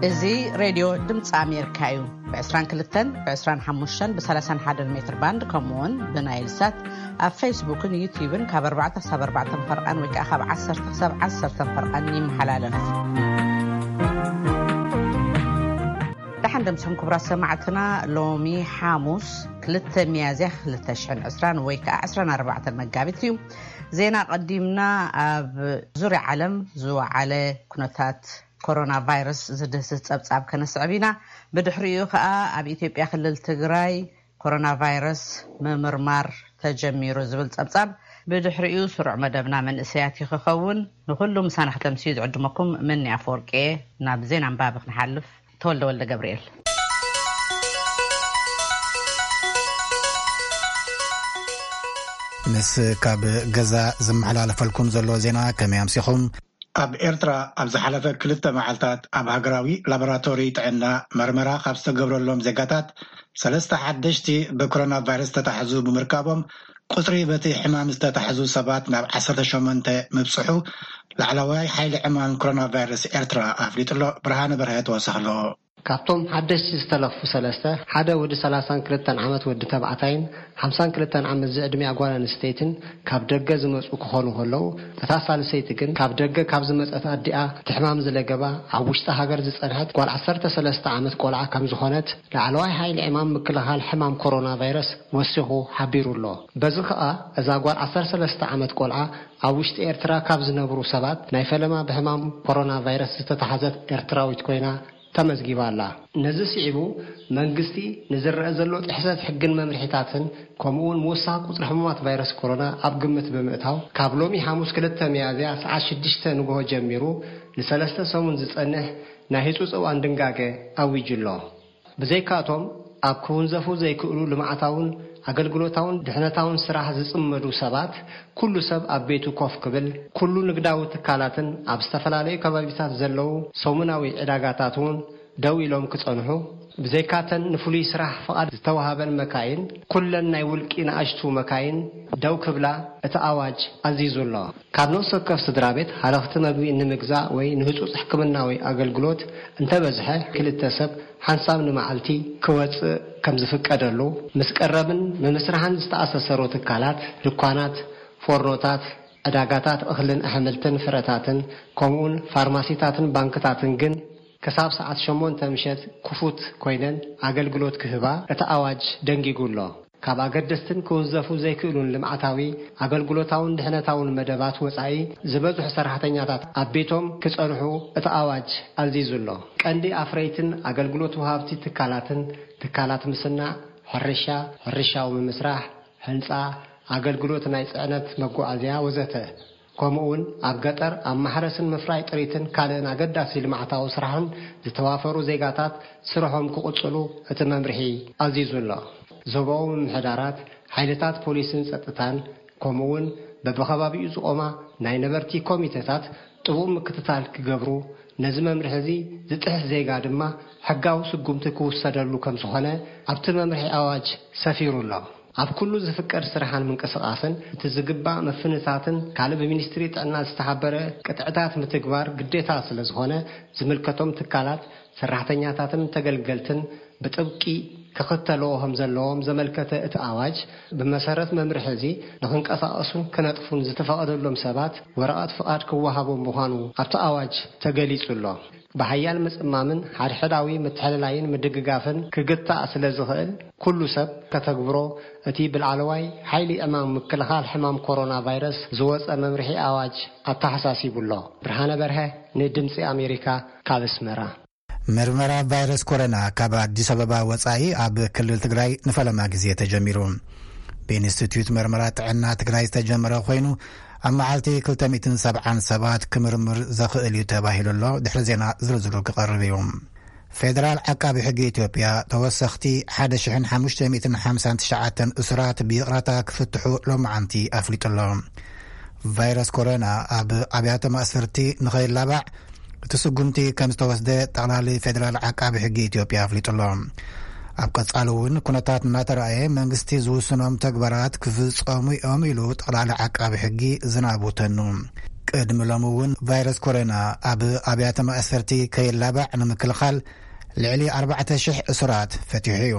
እዚ ሬድዮ ድምፂ ኣሜሪካ እዩ። ብ22፣ ብ25፣ ብ31 ሜትር ባንድ፣ ከምኡ እውን ብናይል ሳት ኣብ ፌስቡክን ዩቲዩብን ካብ ኣርባዕተ ክሳብ ኣርባዕተ ፈርቓን ወይ ከዓ ካብ ዓሰርተ ክሳብ ዓሰርተ ፈርቓን ይመሓላለፍ። ደሓን ደምስኹም ክቡራት ሰማዕትና። ሎሚ ሓሙስ ክልተ ሚያዝያ ክልተ ሽሕን ዕስራን ወይ ከዓ ዕስራን ኣርባዕተን መጋቢት እዩ። ዜና ቀዲምና። ኣብ ዙርያ ዓለም ዝወዓለ ኩነታት ኮሮና ቫይረስ ዝድህስስ ጸብጻብ ከነስዕብ ኢና። ብድሕሪኡ ከኣ ኣብ ኢትዮጵያ ክልል ትግራይ ኮሮና ቫይረስ ምምርማር ተጀሚሩ ዝብል ጸብጻብ፣ ብድሕሪኡ ስሩዕ መደብና መንእሰያት እዩ ክኸውን። ንኹሉ ምሳና ክተምስዩ ዝዕድመኩም ምኒ ኣፈወርቂ እየ። ናብ ዜና ኣንባቢ ክንሓልፍ። ተወልደ ወልደ ገብርኤል። ምስ ካብ ገዛ ዝመሓላለፈልኩም ዘሎ ዜና ከመይ ኣምሲኹም? ኣብ ኤርትራ ኣብ ዝሓለፈ ክልተ መዓልታት ኣብ ሃገራዊ ላቦራቶሪ ጥዕና መርመራ ካብ ዝተገብረሎም ዜጋታት ሰለስተ ሓደሽቲ ብኮሮና ቫይረስ ዝተታሕዙ ብምርካቦም፣ ቁጽሪ በቲ ሕማም ዝተታሕዙ ሰባት ናብ ዓሰርተ ሸሞንተ ምብጽሑ ላዕለዋይ ሓይሊ ዕማም ኮሮና ቫይረስ ኤርትራ ኣፍሊጡ ኣሎ። ብርሃነ በርሀ ተወሳኺ ኣለዎ። ካብቶም ሓደሽቲ ዝተለኽፉ ሰለስተ፣ ሓደ ወዲ ሰላሳን ክልተን ዓመት ወዲ ተባዕታይን ሓምሳን ክልተን ዓመት ዝዕድሚኣ ጓል ኣንስተይትን ካብ ደገ ዝመጹ ክኾኑ ከለዉ፣ እታ ሳልሰይቲ ግን ካብ ደገ ካብ ዝመጸት ኣዲኣ እቲ ሕማም ዝለገባ ኣብ ውሽጢ ሃገር ዝጸንሐት ጓል ዓሰርተ ሰለስተ ዓመት ቆልዓ ከም ዝኾነት ላዕለዋይ ሓይሊ ዕማም ምክልኻል ሕማም ኮሮና ቫይረስ ወሲኹ ሓቢሩ ኣሎ። በዚ ኸኣ እዛ ጓል ዓሰርተ ሰለስተ ዓመት ቆልዓ ኣብ ውሽጢ ኤርትራ ካብ ዝነብሩ ሰባት ናይ ፈለማ ብሕማም ኮሮና ቫይረስ ዝተታሕዘት ኤርትራዊት ኮይና ተመዝጊባ ኣላ። ነዚ ስዒቡ መንግስቲ ንዝረአ ዘሎ ጥሕሰት ሕግን መምርሒታትን ከምኡ እውን ምውሳኽ ቁጽሪ ሕሙማት ቫይረስ ኮሮና ኣብ ግምት ብምእታው ካብ ሎሚ ሓሙስ ክልተ ሚያዝያ ሰዓት ሽዱሽተ ንግሆ ጀሚሩ ንሰለስተ ሰሙን ዝጸንሕ ናይ ህጹጽ እዋን ድንጋገ ኣዊጁ ኣሎ። ብዘይካቶም ኣብ ክውንዘፉ ዘይክእሉ ልምዓታውን ኣገልግሎታውን ድሕነታውን ስራሕ ዝጽመዱ ሰባት ኩሉ ሰብ ኣብ ቤቱ ኮፍ ክብል፣ ኩሉ ንግዳዊ ትካላትን ኣብ ዝተፈላለዩ ከባቢታት ዘለዉ ሰሙናዊ ዕዳጋታት እውን ደው ኢሎም ክጸንሑ፣ ብዘይካተን ንፍሉይ ስራሕ ፍቓድ ዝተዋሃበን መካይን፣ ኩለን ናይ ውልቂ ንኣሽቱ መካይን ደው ክብላ እቲ ኣዋጅ ኣዚዙ ኣሎ። ካብ ነፍሲ ወከፍ ስድራ ቤት ሃለኽቲ መግቢ ንምግዛእ ወይ ንህጹጽ ሕክምናዊ ኣገልግሎት እንተበዝሐ ክልተ ሰብ ሓንሳብ ንመዓልቲ ክወጽእ ከም ዝፍቀደሉ፣ ምስ ቀረብን ምምስራሕን ዝተኣሳሰሩ ትካላት፣ ድኳናት፣ ፎርኖታት፣ ዕዳጋታት እኽልን ኣሕምልትን ፍረታትን፣ ከምኡውን ፋርማሲታትን ባንክታትን ግን ክሳብ ሰዓት ሸሞንተ ምሸት ክፉት ኮይነን ኣገልግሎት ክህባ እቲ ኣዋጅ ደንጊጉ ኣሎ። ካብ ኣገደስትን ክውንዘፉ ዘይክእሉን ልምዓታዊ፣ ኣገልግሎታውን ድሕነታውን መደባት ወጻኢ ዝበዝሑ ሰራሕተኛታት ኣብ ቤቶም ክጸንሑ እቲ ኣዋጅ ኣዚዙ ኣሎ። ቀንዲ ኣፍረይትን ኣገልግሎት ወሃብቲ ትካላትን፣ ትካላት ምስናዕ፣ ሕርሻ፣ ሕርሻዊ ምምስራሕ፣ ህንጻ፣ ኣገልግሎት ናይ ጽዕነት መጓዓዝያ ወዘተ፣ ከምኡውን ኣብ ገጠር ኣብ ማሕረስን ምፍራይ ጥሪትን ካልእን ኣገዳሲ ልምዓታዊ ስራሕን ዝተዋፈሩ ዜጋታት ስርሖም ክቕጽሉ እቲ መምርሒ ኣዚዙ ኣሎ። ዞባዊ ምምሕዳራት፣ ሓይልታት ፖሊስን ጸጥታን፣ ከምኡውን በብኸባቢኡ ዝቖማ ናይ ነበርቲ ኮሚተታት ጥቡቕ ምክትታል ክገብሩ፣ ነዚ መምርሒ እዚ ዝጥሕስ ዜጋ ድማ ሕጋዊ ስጉምቲ ክውሰደሉ ከም ዝኾነ ኣብቲ መምርሒ ኣዋጅ ሰፊሩ ኣሎ። ኣብ ኩሉ ዝፍቀድ ስራሕን ምንቅስቓስን እቲ ዝግባእ ምፍንታትን ካልእ ብሚኒስትሪ ጥዕና ዝተሓበረ ቅጥዕታት ምትግባር ግዴታ ስለ ዝኾነ፣ ዝምልከቶም ትካላት፣ ሰራሕተኛታትን ተገልገልትን ብጥብቂ ክኽተልዎ ከም ዘለዎም ዘመልከተ እቲ ኣዋጅ፣ ብመሰረት መምርሒ እዚ ንኽንቀሳቐሱን ክነጥፉን ዝተፈቐደሎም ሰባት ወረቐት ፍቓድ ክወሃቦም ምዃኑ ኣብቲ ኣዋጅ ተገሊጹ ኣሎ። ብሓያል ምጽማምን ሓድሕዳዊ ምትሕልላይን ምድግጋፍን ክግታእ ስለ ዝኽእል፣ ኩሉ ሰብ ከተግብሮ እቲ ብላዕለዋይ ሓይሊ ዕማም ምክልኻል ሕማም ኮሮና ቫይረስ ዝወጸ መምርሒ ኣዋጅ ኣተሓሳሲቡ ኣሎ። ብርሃነ በርሀ ንድምጺ ኣሜሪካ ካብ ኣስመራ። ምርመራ ቫይረስ ኮሮና ካብ ኣዲስ ኣበባ ወጻኢ ኣብ ክልል ትግራይ ንፈለማ ግዜ ተጀሚሩ። ብኢንስቲትዩት ምርመራ ጥዕና ትግራይ ዝተጀመረ ኮይኑ፣ ኣብ መዓልቲ ክልተ ሚእትን ሰብዓን ሰባት ክምርምር ዘኽእል እዩ ተባሂሉ ኣሎ። ድሕሪ ዜና ዝርዝሩ ክቐርብ እዩ። ፌደራል ዓቃቢ ሕጊ ኢትዮጵያ ተወሰኽቲ ሓደ ሽሕን ሓሙሽተ ሚእትን ሓምሳን ትሽዓተን እሱራት ብይቕረታ ክፍትሑ ሎማዓንቲ ኣፍሊጡ ኣሎ። ቫይረስ ኮሮና ኣብ ኣብያተ ማእሰርቲ ንኸይላባዕ እቲ ስጉምቲ ከም ዝተወስደ ጠቕላሊ ፌደራል ዓቃቢ ሕጊ ኢትዮጵያ ኣፍሊጡ ኣሎ። ኣብ ቀጻሊ እውን ኩነታት እናተረኣየ መንግስቲ ዝውስኖም ተግባራት ክፍጸሙ እዮም ኢሉ ጠቕላሊ ዓቃቢ ሕጊ ዝናቡ ተኑ። ቅድሚ ሎሚ እውን ቫይረስ ኮሮና ኣብ ኣብያተ ማእሰርቲ ከይላባዕ ንምክልኻል ልዕሊ ኣርባዕተ ሽሕ እሱራት ፈቲሑ እዩ።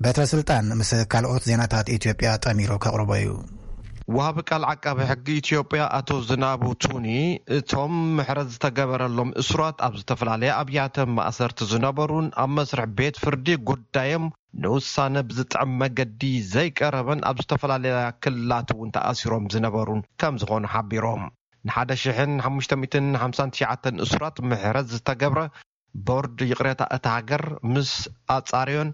በትረ ስልጣን ምስ ካልኦት ዜናታት ኢትዮጵያ ጠሚሩ ከቕርቦ እዩ። ወሃቢ ቃል ዓቃቢ ሕጊ ኢትዮጵያ ኣቶ ዝናቡ ቱኒ፣ እቶም ምሕረት ዝተገበረሎም እሱራት ኣብ ዝተፈላለየ ኣብያተ ማእሰርቲ ዝነበሩን ኣብ መስርሕ ቤት ፍርዲ ጉዳዮም ንውሳነ ብዝጥዕም መገዲ ዘይቀረበን ኣብ ዝተፈላለያ ክልላት እውን ተኣሲሮም ዝነበሩን ከም ዝኾኑ ሓቢሮም። ንሓደ ሽሕን ሓሙሽተ ሚእትን ሓምሳን ትሽዓተን እሱራት ምሕረት ዝተገብረ፣ ቦርድ ይቕሬታ እታ ሃገር ምስ ኣጻርዮን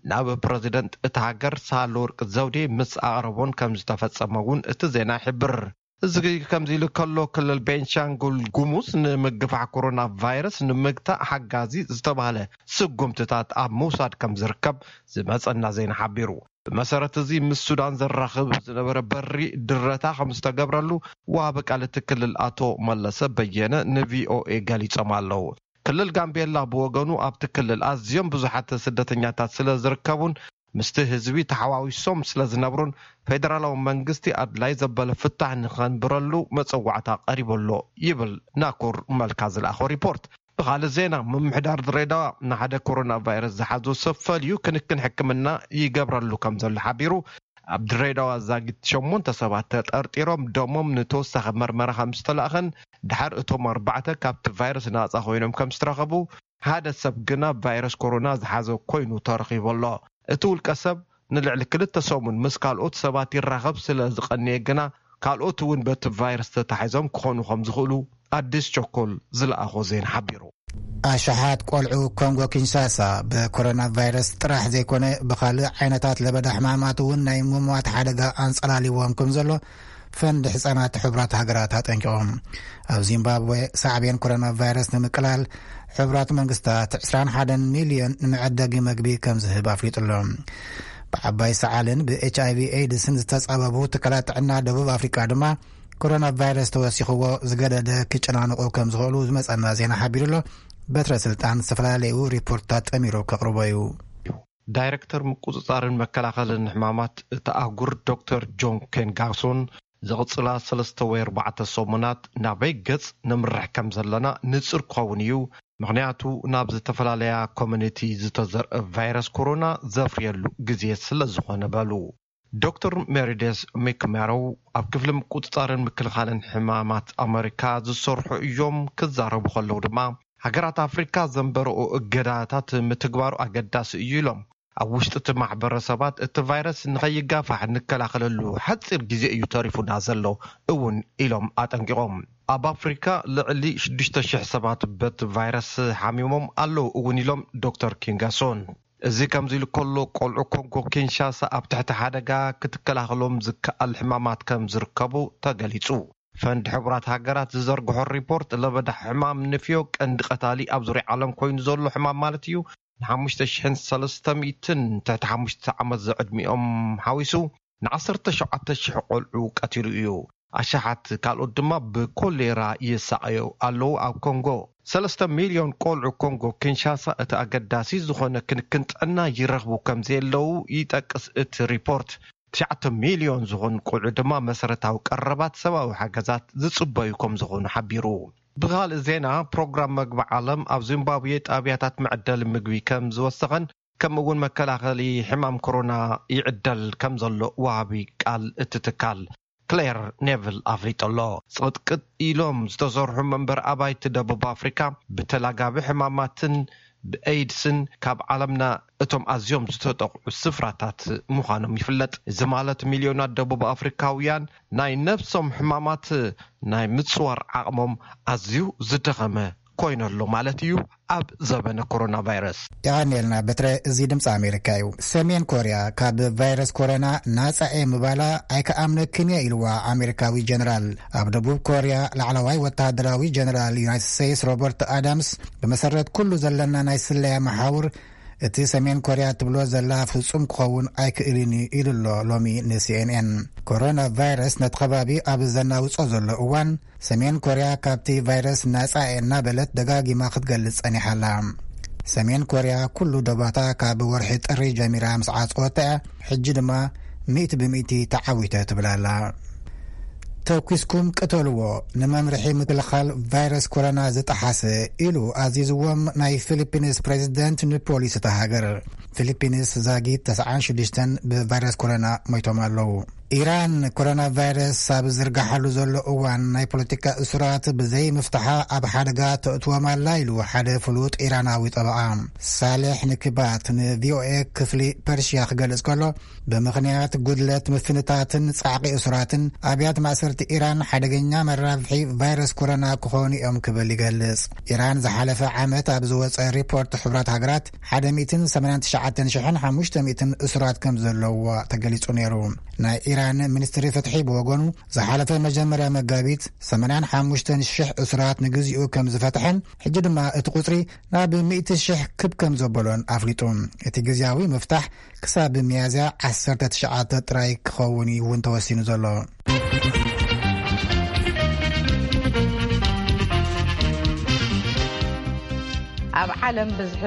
ናብ ፕረዚደንት እታ ሃገር ሳህለወርቅ ዘውዴ ምስ ኣቕረቦን ከም ዝተፈጸመ እውን እቲ ዜና ይሕብር። እዚ ከምዚ ኢሉ ከሎ፣ ክልል ቤንሻንጉል ጉሙዝ ንምግፋሕ ኮሮና ቫይረስ ንምግታእ ሓጋዚ ዝተባህለ ስጉምትታት ኣብ ምውሳድ ከም ዝርከብ ዝመጸና ዜና ሓቢሩ። ብመሰረት እዚ፣ ምስ ሱዳን ዘራኽብ ዝነበረ በሪ ድረታ ከም ዝተገብረሉ ወሃቢ ቃል እቲ ክልል ኣቶ መለሰ በየነ ንቪኦኤ ገሊጾም ኣለዉ። ክልል ጋምቤላ ብወገኑ፣ ኣብቲ ክልል ኣዝዮም ብዙሓት ስደተኛታት ስለ ዝርከቡን ምስቲ ህዝቢ ተሓዋዊሶም ስለ ዝነብሩን፣ ፌደራላዊ መንግስቲ ኣድላይ ዘበለ ፍታሕ ንኸንብረሉ መጸዋዕታ ቀሪቡ ኣሎ ይብል ናኩር መልካ ዝለኣኾ ሪፖርት። ብኻልእ ዜና፣ ምምሕዳር ድሬዳዋ ንሓደ ኮሮና ቫይረስ ዝሓዞ ሰብ ፈልዩ ክንክን ሕክምና ይገብረሉ ከም ዘሎ ሓቢሩ። ኣብ ድሬዳዋ ዛጊት ሸሞንተ ሰባት ተጠርጢሮም ደሞም ንተወሳኺ መርመራ ከም ዝተላእኸን፣ ድሓር እቶም ኣርባዕተ ካብቲ ቫይረስ ናጻ ኮይኖም ከም ዝተረኸቡ፣ ሓደ ሰብ ግና ቫይረስ ኮሮና ዝሓዘ ኮይኑ ተረኺቡ ኣሎ። እቲ ውልቀ ሰብ ንልዕሊ ክልተ ሰሙን ምስ ካልኦት ሰባት ይራኸብ ስለ ዝቐነየ ግና፣ ካልኦት እውን በቲ ቫይረስ ተታሒዞም ክኾኑ ከም ዝኽእሉ ኣዲስ ቸኮል ዝለኣኾ ዜና ሓቢሩ። ኣሽሓት ቆልዑ ኮንጎ ኪንሻሳ ብኮሮና ቫይረስ ጥራሕ ዘይኮነ፣ ብኻልእ ዓይነታት ለበዳ ሕማማት እውን ናይ ምሟት ሓደጋ ኣንጸላልዎም ከም ዘሎ ፈንድ ሕጻናት ሕቡራት ሃገራት ኣጠንቂቖም። ኣብ ዚምባብዌ ሳዕቤን ኮሮና ቫይረስ ንምቅላል ሕቡራት መንግስታት ዕስራን ሓደን ሚልዮን ንመዐደጊ መግቢ ከም ዝህብ ኣፍሊጡ ኣሎ። ብዓባይ ሰዓልን ብኤች ኣይቪ ኤድስን ዝተጻበቡ ትካላት ጥዕና ደቡብ ኣፍሪቃ ድማ ኮሮና ቫይረስ ተወሲኽዎ ዝገደደ ክጨናንቑ ከም ዝኽእሉ ዝመጸና ዜና ሓቢሩ ኣሎ። በትረ ስልጣን ዝተፈላለዩ ሪፖርትታት ጠሚሩ ከቕርቦ እዩ። ዳይሬክተር ምቁጽጻርን መከላኸልን ሕማማት እታ ኣህጉር ዶክተር ጆን ኬንጋሶን፣ ዝቕጽላ ሰለስተ ወይ ኣርባዕተ ሰሙናት ናበይ ገጽ ነምርሕ ከም ዘለና ንጹር ክኸውን እዩ፣ ምኽንያቱ ናብ ዝተፈላለያ ኮሚኒቲ ዝተዘርአ ቫይረስ ኮሮና ዘፍርየሉ ግዜ ስለ ዝኾነ በሉ። ዶክተር ሜሪደስ ሚክሜሮው ኣብ ክፍሊ ምቁጽጻርን ምክልኻልን ሕማማት ኣመሪካ ዝሰርሑ እዮም። ክዛረቡ ከለዉ ድማ፣ ሃገራት ኣፍሪካ ዘንበረኦ እገዳታት ምትግባሩ ኣገዳሲ እዩ ኢሎም። ኣብ ውሽጢ እቲ ማሕበረሰባት እቲ ቫይረስ ንኸይጋፋሕ እንከላኸለሉ ሓፂር ግዜ እዩ ተሪፉና ዘሎ እውን ኢሎም ኣጠንቂቖም። ኣብ ኣፍሪካ ልዕሊ ሽዱሽተ ሽሕ ሰባት በቲ ቫይረስ ሓሚሞም ኣለዉ እውን ኢሎም ዶክተር ኪንጋሶን። እዚ ከምዚ ኢሉ ከሎ፣ ቆልዑ ኮንጎ ኪንሻሳ ኣብ ትሕቲ ሓደጋ ክትከላኸሎም ዝከኣል ሕማማት ከም ዝርከቡ ተገሊጹ። ፈንድ ሕቡራት ሃገራት ዝዘርግሖ ሪፖርት፣ ለበዳ ሕማም ንፍዮ ቀንዲ ቀታሊ ኣብ ዙርያ ዓለም ኮይኑ ዘሎ ሕማም ማለት እዩ፣ ንሓሙሽተ ሽሕን ሰለስተ ሚእትን ትሕቲ ሓሙሽተ ዓመት ዘዕድሚኦም ሓዊሱ ንዓሰርተ ሸውዓተ ሽሕ ቆልዑ ቀቲሉ እዩ። ኣሽሓት ካልኦት ድማ ብኮሌራ ይሳቐዩ ኣለዉ። ኣብ ኮንጎ ሰለስተ ሚልዮን ቆልዑ ኮንጎ ኪንሻሳ እቲ ኣገዳሲ ዝኾነ ክንክን ጥዕና ይረኽቡ ከም ዘየለዉ ይጠቅስ እቲ ሪፖርት። ትሽዓተ ሚልዮን ዝኾኑ ቆልዑ ድማ መሰረታዊ ቀረባት ሰብኣዊ ሓገዛት ዝጽበዩ ከም ዝኾኑ ሓቢሩ። ብኻልእ ዜና፣ ፕሮግራም መግቢ ዓለም ኣብ ዚምባብዌ ጣብያታት መዕደሊ ምግቢ ከም ዝወሰኸን፣ ከምኡ እውን መከላኸሊ ሕማም ኮሮና ይዕደል ከም ዘሎ ወሃቢ ቃል እቲ ትካል ክሌር ኔቭል ኣፍሊጡ ኣሎ። ጽቕጥቅጥ ኢሎም ዝተሰርሑ መንበሪ ኣባይቲ ደቡብ ኣፍሪካ ብተላጋቢ ሕማማትን ብኤይድስን ካብ ዓለምና እቶም ኣዝዮም ዝተጠቕዑ ስፍራታት ምዃኖም ይፍለጥ። እዚ ማለት፣ ሚልዮናት ደቡብ ኣፍሪካውያን ናይ ነብሶም ሕማማት ናይ ምጽዋር ዓቕሞም ኣዝዩ ዝደኸመ ኮይኑ ኣሎ ማለት እዩ። ኣብ ዘበነ ኮሮና ቫይረስ። የቐንየልና በትረ። እዚ ድምፂ ኣሜሪካ እዩ። ሰሜን ኮርያ ካብ ቫይረስ ኮሮና ናፃ እየ ምባላ ኣይከኣምነክን እየ ኢልዋ ኣሜሪካዊ ጀነራል። ኣብ ደቡብ ኮርያ ላዕለዋይ ወተሃደራዊ ጀነራል ዩናይትድ ስቴትስ ሮበርት ኣዳምስ፣ ብመሰረት ኩሉ ዘለና ናይ ስለያ መሓውር፣ እቲ ሰሜን ኮርያ ትብሎ ዘላ ፍጹም ክኸውን ኣይክእልን እዩ ኢሉ ኣሎ ሎሚ ንሲኤንኤን። ኮሮና ቫይረስ ነቲ ከባቢ ኣብ ዘናውጾ ዘሎ እዋን፣ ሰሜን ኮርያ ካብቲ ቫይረስ ናጻ እየ እናበለት ደጋጊማ ክትገልጽ ጸኒሓ ኣላ። ሰሜን ኮርያ ኩሉ ዶባታ ካብ ወርሒ ጥሪ ጀሚራ ምስ ዓጸወታ እያ፣ ሕጂ ድማ ሚእቲ ብሚእቲ ተዓዊተ ትብል ኣላ። ተኩስኩም ቅተልዎ፣ ንመምርሒ ምክልኻል ቫይረስ ኮሮና ዝጠሓሰ፣ ኢሉ ኣዚዝዎም ናይ ፊሊፒንስ ፕሬዚደንት ንፖሊስ እታ ሃገር። ፊሊፒንስ ዛጊት ተስዓን ሽዱሽተን ብቫይረስ ኮሮና ሞይቶም ኣለዉ። ኢራን ኮሮና ቫይረስ ኣብ ዝርጋሓሉ ዘሎ እዋን ናይ ፖለቲካ እሱራት ብዘይ ምፍታሓ ኣብ ሓደጋ ተእትዎም ኣላ፣ ኢሉ ሓደ ፍሉጥ ኢራናዊ ጠበቓ። ሳሌሕ ንክባት ንቪኦኤ ክፍሊ ፐርሽያ ክገልጽ ከሎ፣ ብምኽንያት ጉድለት ምፍንታትን ጻዕቂ እሱራትን፣ ኣብያት ማእሰርቲ ኢራን ሓደገኛ መራብሒ ቫይረስ ኮሮና ክኾኑ እዮም ክብል ይገልጽ። ኢራን ዝሓለፈ ዓመት ኣብ ዝወጸ ሪፖርት ሕቡራት ሃገራት፣ ሓደ ሚእትን ሰማንያን ትሽዓተን ሽሕን ሓሙሽተ ሚእትን እሱራት ከም ዘለውዋ ተገሊጹ ነይሩ። ናይ ኢራን ሚኒስትሪ ፍትሒ ብወገኑ፣ ዝሓለፈ መጀመርያ መጋቢት ሰማንያን ሓሙሽተን ሽሕ እሱራት ንግዚኡ ከም ዝፈትሐን፣ ሕጂ ድማ እቲ ቁጽሪ ናብ ሚእቲ ሽሕ ክብ ከም ዘበሎን ኣፍሊጡ። እቲ ግዝያዊ ምፍታሕ ክሳብ ሚያዝያ ዓሰርተ ትሽዓተ ጥራይ ክኸውን እዩ እውን ተወሲኑ ዘሎ። ኣብ ዓለም ብዝሒ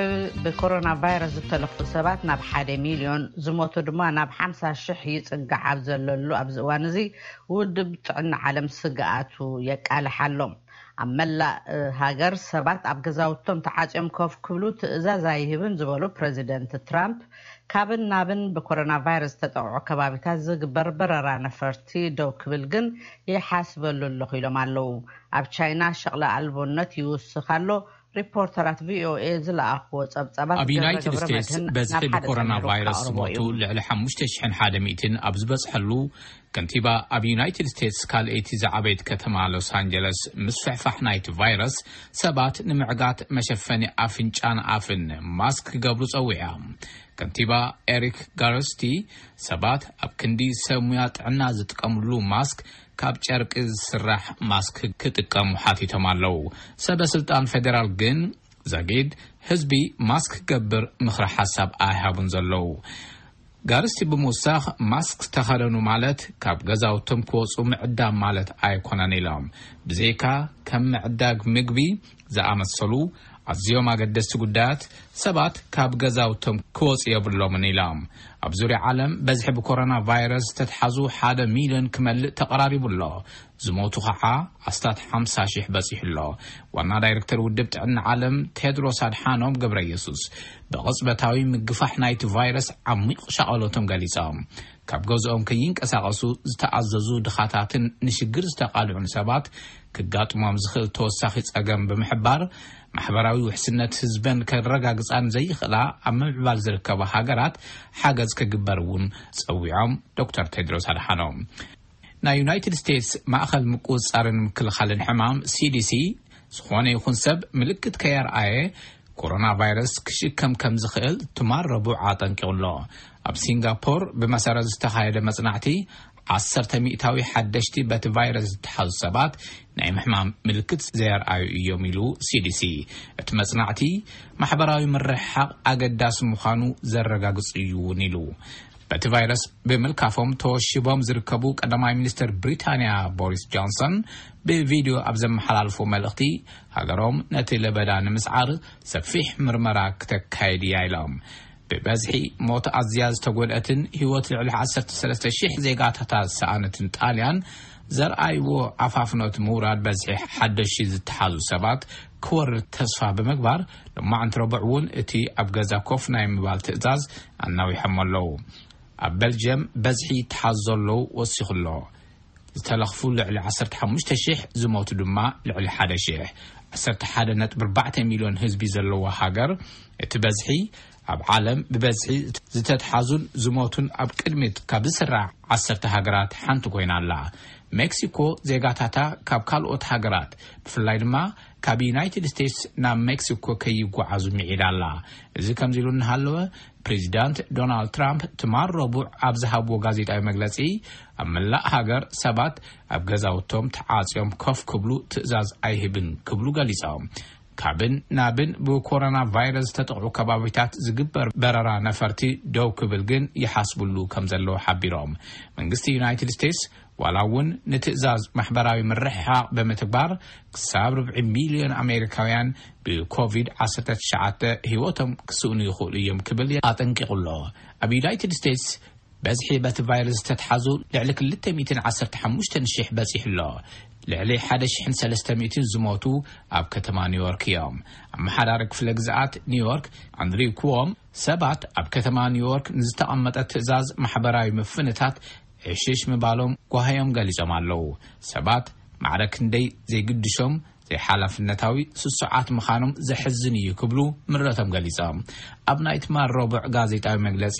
ብኮሮና ቫይረስ ዝተለኽፉ ሰባት ናብ ሓደ ሚልዮን፣ ዝሞቱ ድማ ናብ ሓምሳ ሽሕ ይጽጋዕ ኣብ ዘለሉ ኣብዚ እዋን እዚ፣ ውድብ ጥዕና ዓለም ስግኣቱ የቃልሕ ኣሎ። ኣብ መላእ ሃገር ሰባት ኣብ ገዛውቶም ተዓጽዮም ኮፍ ክብሉ ትእዛዝ ኣይህብን ዝበሉ ፕረዚደንት ትራምፕ፣ ካብን ናብን ብኮሮና ቫይረስ ዝተጠቕዑ ከባቢታት ዝግበር በረራ ነፈርቲ ደው ክብል ግን ይሓስበሉ ኣለኹ ኢሎም ኣለዉ። ኣብ ቻይና ሸቕለ ኣልቦነት ይውስኽ ኣሎ። ሪፖርተራት ቪኦኤ ዝለኣኽዎ ጸብጻባት ኣብ ገብረ ዩናይትድ ገብረ ስቴትስ መድህን በዝሒ ናብ ሓደ ብኮሮና ጸሚሩ ቫይረስ ክኣቕርቦ ዝሞቱ እዩ። ልዕሊ ሓሙሽተ ሽሕን ሓደ ሚእትን ኣብ ዝበጽሐሉ፣ ከንቲባ ኣብ ዩናይትድ ስቴትስ ካልኣይቲ ዝዓበየት ከተማ ሎስ ኣንጀለስ ምስፍሕፋሕ ናይቲ ቫይረስ ሰባት ንምዕጋት መሸፈኒ ኣፍንጫን ኣፍን ማስክ ክገብሩ ጸዊዓ። ከንቲባ ኤሪክ ጋርስቲ ሰባት ኣብ ክንዲ ሰብ ሙያ ጥዕና ዝጥቀምሉ ማስክ ካብ ጨርቂ ዝስራሕ ማስክ ክጥቀሙ ሓቲቶም ኣለዉ። ሰበ ስልጣን ፌደራል ግን ዛጊድ ህዝቢ ማስክ ክገብር ምኽሪ ሓሳብ ኣይሃቡን ዘለዉ። ጋርስቲ ብምውሳኽ፣ ማስክ ዝተኸደኑ ማለት ካብ ገዛውቶም ክወፁ ምዕዳም ማለት ኣይኮነን ኢሎም። ብዘይካ ከም ምዕዳግ ምግቢ ዝኣመሰሉ ኣዝዮም ኣገደስቲ ጉዳያት ሰባት ካብ ገዛውቶም ክወፁ የብሎምን ኢሎም። ኣብ ዙርያ ዓለም በዝሒ ብኮሮና ቫይረስ ዝተትሓዙ ሓደ ሚልዮን ክመልእ ተቐራሪቡ ኣሎ። ዝሞቱ ኸዓ ኣስታት ሓምሳ ሽሕ በጺሑ ኣሎ። ዋና ዳይሬክተር ውድብ ጥዕና ዓለም ቴድሮስ ኣድሓኖም ገብረ ኢየሱስ፣ ብቕጽበታዊ ምግፋሕ ናይቲ ቫይረስ ዓሚቕ ሻቐሎቶም ገሊጾም፣ ካብ ገዝኦም ከይንቀሳቐሱ ዝተኣዘዙ ድኻታትን ንሽግር ዝተቓልዑን ሰባት ክጋጥሞም ዝኽእል ተወሳኺ ጸገም ብምሕባር፣ ማሕበራዊ ውሕስነት ህዝበን ከረጋግጻን ዘይኽእላ ኣብ ምምዕባል ዝርከባ ሃገራት ሓገዝ ክግበር እውን ጸዊዖም። ዶክተር ቴድሮስ ኣድሓኖም፣ ናይ ዩናይትድ ስቴትስ ማእኸል ምቁጽጻርን ምክልኻልን ሕማም፣ ሲዲሲ፣ ዝኾነ ይኹን ሰብ ምልክት ከየርኣየ ኮሮና ቫይረስ ክሽከም ከም ዝኽእል ትማል ረቡዕ ኣጠንቂቑ ኣሎ። ኣብ ሲንጋፖር ብመሰረት ዝተኻየደ መጽናዕቲ፣ ዓሰርተ ሚእታዊ ሓደሽቲ በቲ ቫይረስ ዝተሓዙ ሰባት ናይ ምሕማም ምልክት ዘየርኣዩ እዮም ኢሉ ሲዲሲ። እቲ መጽናዕቲ ማሕበራዊ ምርሕሓቕ ኣገዳሲ ምዃኑ ዘረጋግጽ እዩ እውን ኢሉ። በቲ ቫይረስ ብምልካፎም ተወሺቦም ዝርከቡ ቀዳማይ ሚኒስትር ብሪታንያ ቦሪስ ጆንሰን ብቪድዮ ኣብ ዘመሓላልፎ መልእኽቲ፣ ሃገሮም ነቲ ለበዳ ንምስዓር ሰፊሕ ምርመራ ክተካይድ እያ ኢሎም። ብበዝሒ ሞት ኣዝያ ዝተጎድአትን ህይወት ልዕሊ ዓሰርተ ሰለስተ ሽሕ ዜጋታታ ዝሰኣነትን ጣልያን ዘርኣይዎ ኣፋፍኖት ምውራድ በዝሒ ሓደሽቲ ዝተሓዙ ሰባት ክወርድ ተስፋ ብምግባር፣ ሎማዕንቲ ረቡዕ እውን እቲ ኣብ ገዛ ኮፍ ናይ ምባል ትእዛዝ ኣናዊሖም ኣለዉ። ኣብ በልጅየም በዝሒ ይተሓዙ ዘለዉ ወሲኹ ኣሎ። ዝተለኽፉ ልዕሊ ዓሰርተ ሓሙሽተ ሽሕ፣ ዝሞቱ ድማ ልዕሊ ሓደ ሽሕ። ዓሰርተ ሓደ ነጥቢ ኣርባዕተ ሚልዮን ህዝቢ ዘለዋ ሃገር፣ እቲ በዝሒ ኣብ ዓለም ብበዝሒ ዝተትሓዙን ዝሞቱን ኣብ ቅድሚት ካብ ዝስራዕ ዓሰርተ ሃገራት ሓንቲ ኮይና ኣላ። ሜክሲኮ ዜጋታታ ካብ ካልኦት ሃገራት፣ ብፍላይ ድማ ካብ ዩናይትድ ስቴትስ ናብ ሜክሲኮ ከይጓዓዙ ምዒዳ ኣላ። እዚ ከምዚ ኢሉ እናሃለወ፣ ፕሬዚዳንት ዶናልድ ትራምፕ ትማል ረቡዕ ኣብ ዝሃብዎ ጋዜጣዊ መግለጺ፣ ኣብ መላእ ሃገር ሰባት ኣብ ገዛውቶም ተዓጽዮም ኮፍ ክብሉ ትእዛዝ ኣይህብን ክብሉ ገሊጾም። ካብን ናብን ብኮሮና ቫይረስ ዝተጠቕዑ ከባቢታት ዝግበር በረራ ነፈርቲ ደው ክብል ግን ይሓስብሉ ከም ዘለዉ ሓቢሮም። መንግስቲ ዩናይትድ ስቴትስ ዋላ እውን ንትእዛዝ ማሕበራዊ ምርሕሓቕ ብምትግባር ክሳብ ርብዒ ሚልዮን ኣሜሪካውያን ብኮቪድ ዓሰርተ ትሽዓተ ህይወቶም ክስእኑ ይኽእሉ እዮም ክብል ኣጠንቂቑ ኣሎ። ኣብ ዩናይትድ ስቴትስ በዝሒ በቲ ቫይረስ ዝተትሓዙ ልዕሊ ክልተ ሚእትን ዓሰርተ ሓሙሽተ ሽሕ በጺሑ ኣሎ። ልዕሊ ሓደ ሽሕን ሰለስተ ሚእትን ዝሞቱ ኣብ ከተማ ኒውዮርክ እዮም። ኣመሓዳሪ ክፍለ ግዝኣት ኒውዮርክ ኣንድሪው ኩዎም ሰባት ኣብ ከተማ ኒውዮርክ ንዝተቐመጠ ትእዛዝ ማሕበራዊ ምፍንታት ዕሽሽ ምባሎም ጓሃዮም ገሊጾም ኣለዉ። ሰባት ማዕረ ክንደይ ዘይግድሾም ዘይሓላፍነታዊ ስሱዓት ምዃኖም ዘሕዝን እዩ ክብሉ ምረቶም ገሊጾም። ኣብ ናይ ትማል ረቡዕ ጋዜጣዊ መግለጺ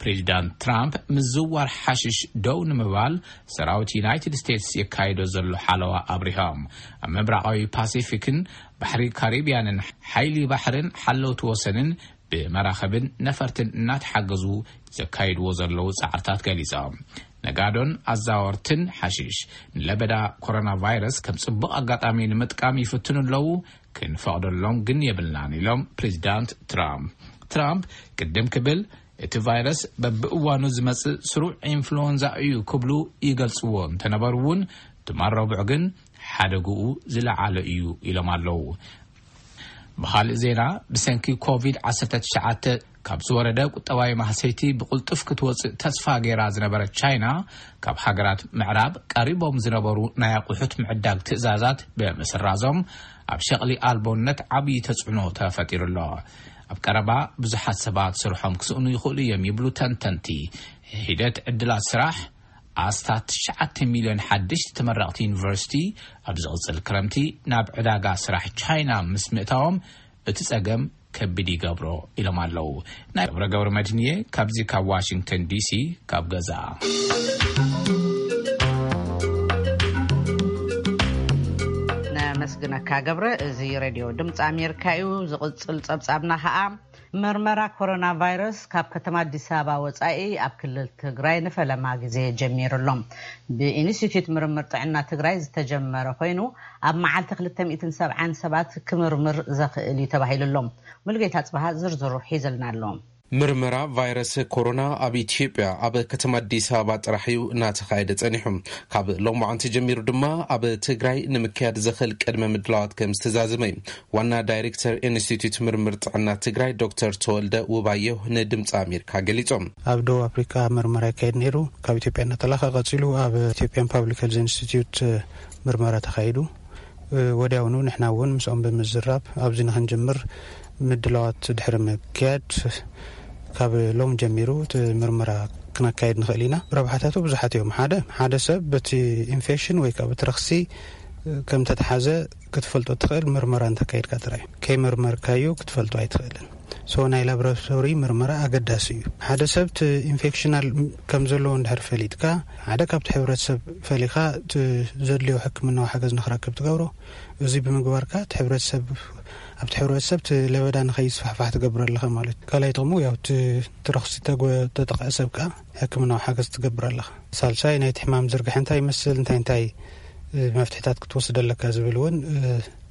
ፕሬዚዳንት ትራምፕ ምዝዋር ሓሽሽ ደው ንምባል ሰራዊት ዩናይትድ ስቴትስ የካይዶ ዘሎ ሓለዋ ኣብሪሆም። ኣብ ምብራቓዊ ፓሲፊክን ባሕሪ ካሪቢያንን ሓይሊ ባሕርን ሓለውቲ ወሰንን ብመራኸብን ነፈርትን እናተሓገዙ ዘካይድዎ ዘለዉ ጻዕርታት ገሊጾም። ነጋዶን ኣዛወርትን ሓሽሽ ንለበዳ ኮሮና ቫይረስ ከም ጽቡቕ ኣጋጣሚ ንምጥቃም ይፍትኑ ኣለዉ፣ ክንፈቕደሎም ግን የብልናን ኢሎም ፕሬዚዳንት ትራምፕ። ትራምፕ ቅድም ክብል እቲ ቫይረስ በብእዋኑ ዝመጽእ ስሩዕ ኢንፍሉወንዛ እዩ ክብሉ ይገልጽዎ እንተነበሩ እውን ትማል ረቡዕ ግን ሓደግኡ ዝለዓለ እዩ ኢሎም ኣለዉ። ብኻልእ ዜና፣ ብሰንኪ ኮቪድ ዓሰርተ ትሽዓተ ካብ ዝወረደ ቁጠባዊ ማህሰይቲ ብቕልጡፍ ክትወጽእ ተስፋ ገይራ ዝነበረት ቻይና፣ ካብ ሃገራት ምዕራብ ቀሪቦም ዝነበሩ ናይ ኣቑሑት ምዕዳግ ትእዛዛት ብምስራዞም ኣብ ሸቕሊ ኣልቦነት ዓብዪ ተጽዕኖ ተፈጢሩ ኣሎ። ኣብ ቀረባ ብዙሓት ሰባት ስርሖም ክስእኑ ይኽእሉ እዮም ይብሉ ተንተንቲ። ሒደት ዕድላት ስራሕ ኣስታት ትሽዓተ ሚልዮን ሓደሽቲ ተመረቕቲ ዩኒቨርሲቲ ኣብ ዝቕጽል ክረምቲ ናብ ዕዳጋ ስራሕ ቻይና ምስ ምእታዎም እቲ ጸገም ከቢድ ይገብሮ ኢሎም ኣለዉ። ናይ ገብረ ገብረ መድህንየ ካብዚ ካብ ዋሽንግተን ዲሲ ካብ ገዛ። ነመስግነካ ገብረ። እዚ ሬድዮ ድምፂ ኣሜሪካ እዩ። ዝቕጽል ጸብጻብና ኸኣ መርመራ ኮሮና ቫይረስ ካብ ከተማ ኣዲስ ኣበባ ወጻኢ ኣብ ክልል ትግራይ ንፈለማ ግዜ ጀሚሩ ኣሎ። ብኢንስቲትዩት ምርምር ጥዕና ትግራይ ዝተጀመረ ኮይኑ ኣብ መዓልቲ ክልተ ሚእትን ሰብዓን ሰባት ክምርምር ዘኽእል እዩ ተባሂሉ ኣሎ። ሙሉጌታ ጽብሃ ዝርዝሩ ሒዝልና ኣሎ። ምርመራ ቫይረስ ኮሮና ኣብ ኢትዮጵያ ኣብ ከተማ ኣዲስ ኣበባ ጥራሕ እዩ እናተኻየደ ጸኒሑ። ካብ ሎማዓንቲ ጀሚሩ ድማ ኣብ ትግራይ ንምክያድ ዘኽእል ቅድመ ምድላዋት ከም ዝተዛዘመ እዩ ዋና ዳይሬክተር ኢንስቲትዩት ምርምር ጥዕና ትግራይ ዶክተር ተወልደ ውባየሁ ንድምፂ ኣሜሪካ ገሊጾም። ኣብ ደቡብ ኣፍሪካ ምርመራ ይካየድ ነይሩ። ካብ ኢትዮጵያ እናተላኸ ቀጺሉ ኣብ ኢትዮጵያን ፓብሊክ ሄልዝ ኢንስቲትዩት ምርመራ ተኻይዱ። ወዲያውኑ ንሕና እውን ምስኦም ብምዝራብ ኣብዚ ንክንጅምር ምድላዋት ድሕሪ ምክያድ ካብ ሎም ጀሚሩ እቲ ምርመራ ክነካየድ ንኽእል ኢና። ረብሓታቱ ብዙሓት እዮም። ሓደ ሓደ ሰብ በቲ ኢንፌክሽን ወይ ከዓ በቲ ረኽሲ ከም ተተሓዘ ክትፈልጦ ትኽእል ምርመራ እንተካይድካ ጥራይ። ከይመርመርካዮ ክትፈልጦ ኣይትኽእልን። ሶ ናይ ላብራቶሪ ምርመራ ኣገዳሲ እዩ። ሓደ ሰብ እቲ ኢንፌክሽናል ከም ዘለዎ እንድሕር ፈሊጥካ ሓደ ካብቲ ሕብረተሰብ ፈሊኻ እቲ ዘድልዮ ሕክምናዊ ሓገዝ ንክረክብ ትገብሮ። እዚ ብምግባርካ እቲ ሕብረተሰብ ኣብቲ ሕብረተሰብ እቲ ለበዳ ንኸይስፋሕፋሕ ትገብር ኣለኻ ማለት እዩ። ካልኣይ ጥቕሙ ያው እቲ እቲ ረኽሲ ተጎ- ተጠቕዐ ሰብ ከዓ ሕክምናዊ ሓገዝ ትገብር ኣለኻ። ሳልሳይ ናይቲ ሕማም ዝርግሐ እንታይ ይመስል እንታይ እንታይ መፍትሕታት ክትወስድ ኣለካ ዝብል እውን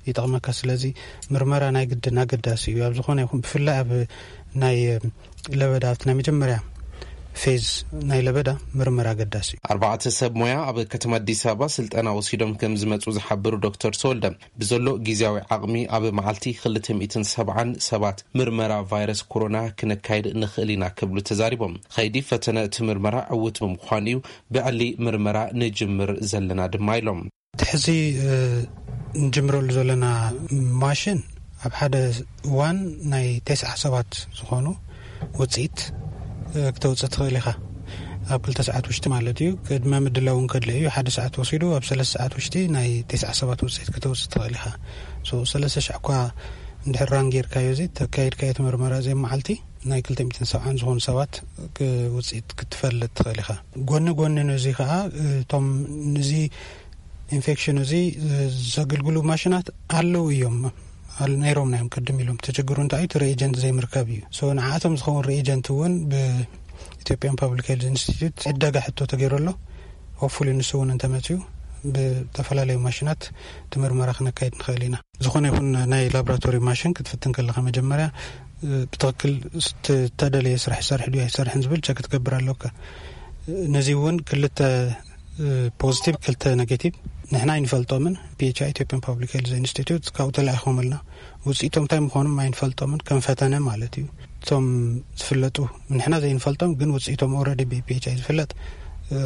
ይጠቕመካ። ስለዚ ምርመራ ናይ ግድን ኣገዳሲ እዩ ኣብ ዝኾነ ይኹን ብፍላይ ኣብ ናይ ለበዳ ኣብቲ ናይ መጀመርያ ፌዝ ናይ ለበዳ ምርመራ ኣገዳሲ እዩ። ኣርባዕተ ሰብ ሞያ ኣብ ከተማ ኣዲስ ኣበባ ስልጠና ወሲዶም ከም ዝመፁ ዝሓበሩ ዶክተር ተወልደ ብዘሎ ግዜያዊ ዓቕሚ ኣብ መዓልቲ ክልተ ሚእትን ሰብዓን ሰባት ምርመራ ቫይረስ ኮሮና ክነካይድ ንኽእል ኢና ክብሉ ተዛሪቦም። ኸይዲ ፈተነ እቲ ምርመራ ዕዉት ብምዃኑ እዩ ብዕሊ ምርመራ ንጅምር ዘለና ድማ ኢሎም። እቲ ሕዚ ንጅምረሉ ዘለና ማሽን ኣብ ሓደ እዋን ናይ ተስዓ ሰባት ዝኾኑ ውፅኢት ክተውፅእ ትኽእል ኢኻ። ኣብ ክልተ ሰዓት ውሽጢ ማለት እዩ። ቅድመ ምድላው እውን ከድለ እዩ። ሓደ ሰዓት ወሲዱ ኣብ ሰለስተ ሰዓት ውሽጢ ናይ ተስዓ ሰባት ውፅኢት ክተውፅእ ትኽእል ኢኻ። ሰለስተ ሻዕ እኳ እንድሕር ራን ጌርካዮ እዚ ተካይድካዮ እቲ ምርመራ እዚ መዓልቲ ናይ ክልተ ሚእትን ሰብዓን ዝኾኑ ሰባት ውፅኢት ክትፈልጥ ትኽእል ኢኻ። ጎኒ ጎኒ ነዚ ከዓ እቶም ንዚ ኢንፌክሽን እዚ ዘገልግሉ ማሽናት ኣለዉ እዮም። ነይሮም ናዮም ቅድም ኢሎም ተችግሩ እንታይ እቲ ሬኤጀንት ዘይምርከብ እዩ። ንዓቶም ዝኸውን ሬኤጀንት እውን ብኢትዮጵያን ፓብሊክ ሄልዝ ኢንስቲትዩት ዕደጋ ሕቶ ተገይሩ ኣሎ። ሆፉሊ ንሱ እውን እንተመፅኡ ብተፈላለዩ ማሽናት ትምርመራ ክነካይድ ንኽእል ኢና። ዝኾነ ይኹን ናይ ላብራቶሪ ማሽን ክትፍትን ከለካ መጀመርያ ብትኽክል ዝተደለየ ስራሕ ይሰርሕ ድዩ ኣይሰርሕን ዝብል ቸክ ክትገብር ኣለካ። ነዚ እውን ክልተ ፖዚቲቭ ክልተ ኔጌቲቭ ንሕና ኣይንፈልጦምን። ፒኤችኣይ ኢትዮጵያን ፓብሊክ ሄልዝ ኢንስቲትዩት ካብኡ ተላኢኾምልና ውፅኢቶም እንታይ ምዃኖም ኣይንፈልጦምን ከም ፈተነ ማለት እዩ። እቶም ዝፍለጡ፣ ንሕና ዘይንፈልጦም ግን ውፅኢቶም ኦልሬዲ ብፒኤችኣይ ዝፍለጥ፣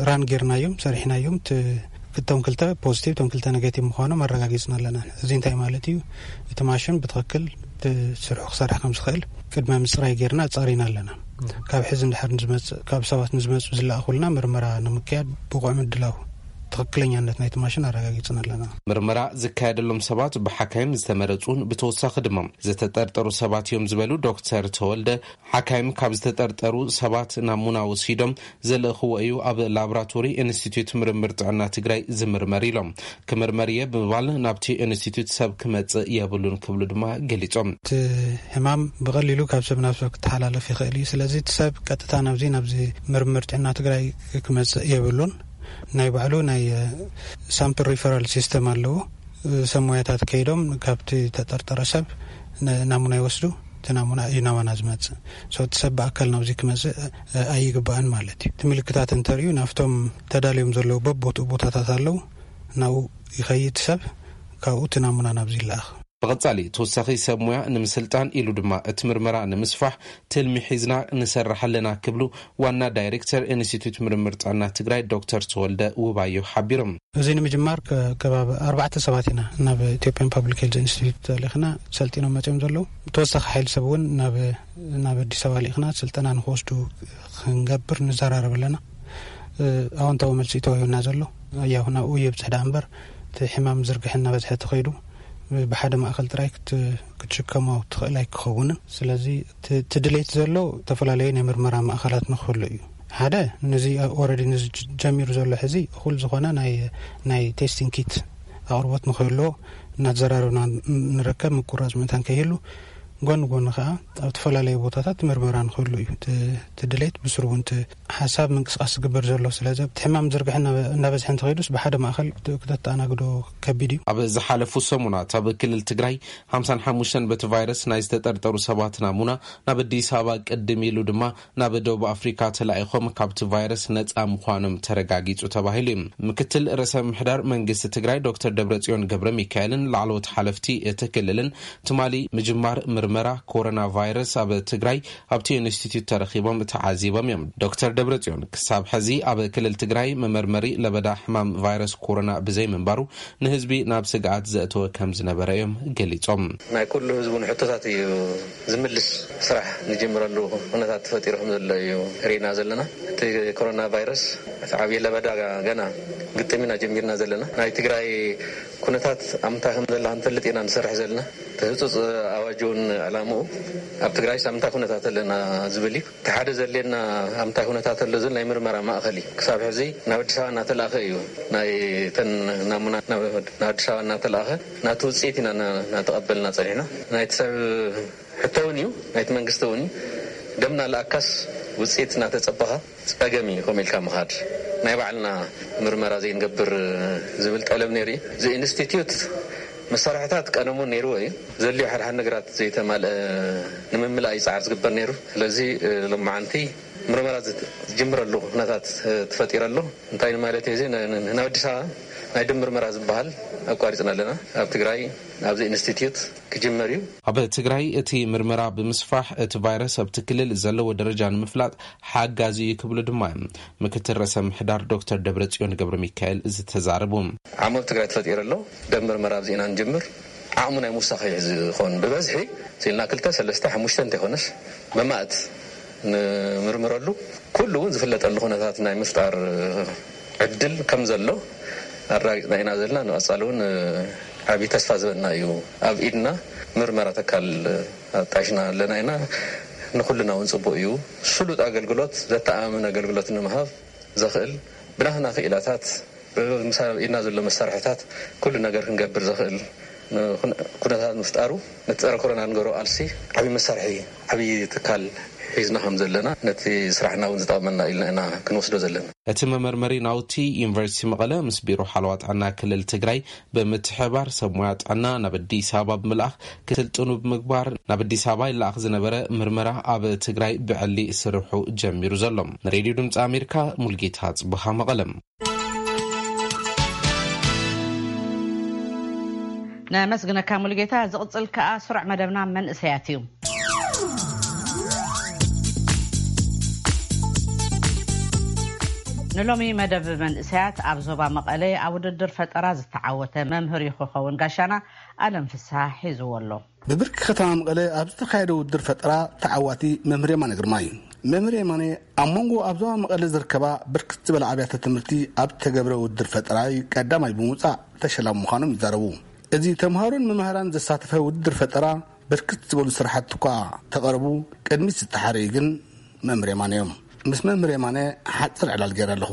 ራን ጌርናዮም፣ ሰሪሕናዮም። ት- እቶም ክልተ ፖዚቲቭ፣ እቶም ክልተ ኔጌቲቭ ምዃኖም ኣረጋጊፅና ኣለና። እዚ እንታይ ማለት እዩ? እቲ ማሽን ብትኽክል እቲ ስርሑ ክሰርሕ ከም ዝኽእል ቅድመ ምፅራይ ጌርና ኣፃሪና ኣለና። ካብ ሕዚ እንድሕር ንዝመፅእ፣ ካብ ሰባት ንዝመፁ ዝለኣኹልና ምርመራ ንምክያድ ብቑዕ ምድላው ትኽክለኛነት ናይቲ ማሽን ኣረጋጊፅና ኣለና። ምርመራ ዝካየደሎም ሰባት ብሓካይም ዝተመረፁን ብተወሳኺ ድማ ዝተጠርጠሩ ሰባት እዮም ዝበሉ ዶክተር ተወልደ፣ ሓካይም ካብ ዝተጠርጠሩ ሰባት ናሙና ወሲዶም ዘልእኽዎ እዩ ኣብ ላቦራቶሪ ኢንስቲትዩት ምርምር ጥዕና ትግራይ ዝምርመር ኢሎም። ክምርመር እየ ብምባል ናብቲ ኢንስቲትዩት ሰብ ክመጽእ የብሉን ክብሉ ድማ ገሊጾም። እቲ ሕማም ብቐሊሉ ካብ ሰብ ናብ ሰብ ክተሓላለፍ ይኽእል እዩ። ስለዚ እቲ ሰብ ቀጥታ ናብዚ፣ ናብዚ ምርምር ጥዕና ትግራይ ክመጽእ የብሉን። ናይ ባዕሉ ናይ ሳምፕል ሪፈራል ሲስተም ኣለዎ። ሰብ ሞያታት ከይዶም ካብቲ ተጠርጠረ ሰብ ን- ናሙና ይወስዱ። እቲ ናሙና እዩ ናባና ዝመጽእ። So እቲ ሰብ ብኣካል ናብዚ ክመጽእ ኣይግባእን ማለት እዩ። እቲ ምልክታት እንተርእዩ ናብቶም ተዳልዮም ዘለዉ በቦትኡ ቦታታት ኣለዉ። ናብኡ ይኸይድ ሰብ፣ ካብኡ እቲ ናሙና ናብዚ ይለኣኽ። ብቐጻሊ ተወሳኺ ሰብ ሞያ ንምስልጣን ኢሉ ድማ እቲ ምርመራ ንምስፋሕ ትልሚ ሒዝና ንሰርሕ ኣለና ክብሉ ዋና ዳይሬክተር ኢንስቲትዩት ምርምር ጥዕና ትግራይ ዶክተር ተወልደ ውባዮ ሓቢሮም። እዚ ንምጅማር ከ- ከባቢ ኣርባዕተ ሰባት ኢና ናብ ኢትዮጵያን ፓብሊክ ሄልዝ ኢንስቲትዩት ተልእኽና ሰልጢኖም መፂኦም ዘለዉ። ተወሳኺ ሓይሊ ሰብ እውን ናብ ናብ ኣዲስ ኣበባ ልኢኽና ስልጠና ንክወስዱ ክንገብር ንዘራረብ ኣለና። ኣወንታዊ መልሲ እዩ ተዋሂቡና ዘሎ። ያው ናብኡ የብፅሕ ደኣ እምበር እቲ ሕማም ዝርግሐ እናበዝሐ ተኸይዱ ብሓደ ማእኸል ጥራይ ክትሽከሞ ትኽእል ኣይክኸውንን። ስለዚ እቲ ድሌት ዘሎ ዝተፈላለዩ ናይ ምርመራ ማእኸላት ንክህሉ እዩ። ሓደ ነዚ ኦረዲ ነዚ ጀሚሩ ዘሎ ሕዚ እኹል ዝኾነ ናይ ቴስቲንግ ኪት ኣቕርቦት ንክህልዎ እናተዘራረብና ንርከብ። ምቁራፅ መታን ከይህሉ ጎን ጎን ከዓ ኣብ ዝተፈላለዩ ቦታታት ምርመራ ንክህሉ እዩ እቲ ድሌት። ብስሩ እውን እቲ ሓሳብ ምንቅስቃስ ዝግበር ዘሎ። ስለዚ እቲ ሕማም ዝርግሐ እናበዝሐ እንተኸይዱስ ብሓደ ማእኸል ክተተኣናግዶ ከቢድ እዩ። ኣብ ዝሓለፉ ሰሙናት ኣብ ክልል ትግራይ ሓምሳን ሓሙሽተን በቲ ቫይረስ ናይ ዝተጠርጠሩ ሰባት ናሙና ናብ ኣዲስ ኣበባ ቅድም ኢሉ ድማ ናብ ደቡብ ኣፍሪካ ተላኢኾም ካብቲ ቫይረስ ነፃ ምዃኖም ተረጋጊፁ ተባሂሉ እዩ። ምክትል ርእሰ ምምሕዳር መንግስቲ ትግራይ ዶክተር ደብረፅዮን ገብረ ሚካኤልን ላዕለዎት ሓለፍቲ እቲ ክልልን ትማሊ ምጅማር ምርመራ ኮሮና ቫይረስ ኣብ ትግራይ ኣብቲ ኢንስቲትዩት ተረኺቦም ተዓዚቦም እዮም። ዶክተር ደብረፅዮን ክሳብ ሕዚ ኣብ ክልል ትግራይ መመርመሪ ለበዳ ሕማም ቫይረስ ኮሮና ብዘይምንባሩ ንህዝቢ ናብ ስግኣት ዘእተወ ከም ዝነበረ እዮም ገሊፆም። ናይ ኩሉ ህዝቡ ንሕቶታት እዩ ዝምልስ ስራሕ ንጅምረሉ ኩነታት ተፈጢሩ ከም ዘሎ እዩ ርኢና ዘለና። እቲ ኮሮና ቫይረስ እቲ ዓብዪ ለበዳ ገና ግጥም ኢና ጀሚርና ዘለና። ናይ ትግራይ ኩነታት ኣብ ምንታይ ከም ዘላ ክንፈልጥ ኢና ንሰርሕ ዘለና። እቲ ህፁፅ ኣዋጅ እውን ዕላምኡ ኣብ ትግራይ ኣብ ምንታይ ኩነታት ኣለና ዝብል እዩ። እቲ ሓደ ዘድልየና ኣብ ምንታይ ኩነታት ኣሎ ዝብል ናይ ምርመራ ማእኸል እዩ። ክሳብ ሕዚ ናብ ኣዲስ ኣበባ እናተላእኸ እዩ። ናይ ተን ናሙና ናብ ኣዲስ ኣበባ እናተላእኸ ናቲ ውፅኢት ኢና እናተቐበልና ፀኒሕና። ናይቲ ሰብ ሕቶ እውን እዩ፣ ናይቲ መንግስቲ እውን እዩ። ደምና ለኣካስ ውፅኢት እናተፀበኻ ፀገም እዩ ከምኡ ኢልካ ምኻድ። ናይ ባዕልና ምርመራ ዘይንገብር ዝብል ጠለብ ነይሩ እዩ። እዚ ኢንስቲትዩት መሳርሕታት ቀደም እውን ነይርዎ እዩ። ዘድልዮ ሓደ ሓደ ነገራት ዘይተማልአ ንምምላእ እዩ ፃዕሪ ዝግበር ነይሩ። ስለዚ ሎማዓንቲ ምርመራ ዝጅምረሉ ኩነታት ተፈጢሩ ኣሎ። እንታይ ማለት እዩ እዚ? ናብ ኣዲስ ኣበባ ናይ ደም ምርመራ ዝበሃል ኣቋሪፅና ኣለና። ኣብ ትግራይ ኣብዚ ኢንስቲትዩት ክጅመር እዩ። ኣብ ትግራይ እቲ ምርመራ ብምስፋሕ እቲ ቫይረስ ኣብቲ ክልል ዘለዎ ደረጃ ንምፍላጥ ሓጋዚ እዩ ክብሉ ድማ እዮም ምክትል ርእሰ ምሕዳር ዶክተር ደብረፅዮን ገብረ ሚካኤል ዝተዛረቡ። ዓቕሚ ኣብ ትግራይ ተፈጢሩ ኣሎ። ደም ምርመራ ኣብዚ ኢና ንጅምር። ዓቕሙ ናይ ምውሳኽ እዩ ዝኸውን። ብበዝሒ ሲልና ክልተ ሰለስተ ሓሙሽተ እንተይኮነስ መማእት ንምርምረሉ ኩሉ እውን ዝፍለጠሉ ኩነታት ናይ ምፍጣር ዕድል ከም ዘሎ ኣረጋጊፅና ኢና ዘለና። ንቐፃሊ እውን ዓብዪ ተስፋ ዝበና እዩ። ኣብ ኢድና ምርመራ ተካል ኣጣይሽና ኣለና ኢና። ንኩልና እውን ፅቡቅ እዩ። ስሉጥ ኣገልግሎት፣ ዘተኣማምን ኣገልግሎት ንምሃብ ዘኽእል ብናህና ክኢላታት፣ ብኢድና ዘሎ መሳርሕታት ኩሉ ነገር ክንገብር ዘኽእል ኩነታት ምፍጣሩ ነቲ ፀረ ኮሮና ንገሮ ኣልሲ ዓብዪ መሳርሒ፣ ዓብዪ ትካል ሒዝና ከም ዘለና፣ ነቲ ስራሕና እውን ዝጠቕመና ኢልና ኢና ክንወስዶ ዘለና። እቲ መመርመሪ ናውቲ ዩኒቨርሲቲ መቐለ ምስ ቢሮ ሓለዋ ጥዕና ክልል ትግራይ ብምትሕባር ሰብ ሞያ ጥዕና ናብ ኣዲስ ኣበባ ብምልኣኽ ክስልጥኑ ብምግባር ናብ ኣዲስ ኣበባ ይለኣኽ ዝነበረ ምርመራ ኣብ ትግራይ ብዕሊ ስርሑ ጀሚሩ ዘሎ። ንሬድዮ ድምፂ ኣሜሪካ ሙልጌታ ጽቡኻ መቐለም። ነመስግነካ ሙሉጌታ። ዝቕጽል ከኣ ስሩዕ መደብና መንእሰያት እዩ። ንሎሚ መደብ መንእሰያት ኣብ ዞባ መቐለ ኣብ ውድድር ፈጠራ ዝተዓወተ መምህር ይክኸውን ጋሻና ኣለም ፍስሃ ሒዝዎ ኣሎ። ብብርኪ ከተማ መቐለ ኣብ ዝተኻየደ ውድድር ፈጠራ ተዓዋቲ መምህር የማነ ግርማ እዩ። መምህር የማነ ኣብ መንጎ ኣብ ዞባ መቐለ ዝርከባ ብርክት ዝበላ ኣብያተ ትምህርቲ ኣብ ዝተገብረ ውድድር ፈጠራ እዩ ቀዳማይ ብምውፃእ ተሸላሚ ምዃኖም ይዛረቡ። እዚ ተምሃሮን መምህራን ዘሳተፈ ውድድር ፈጠራ ብርክት ዝበሉ ስራሕቲ እኳ ተቐረቡ፣ ቅድሚት ዝተሓረዩ ግን መምህር የማነ እዮም። ምስ መምህር የማነ ሓፂር ዕላል ገይረ ኣለኹ።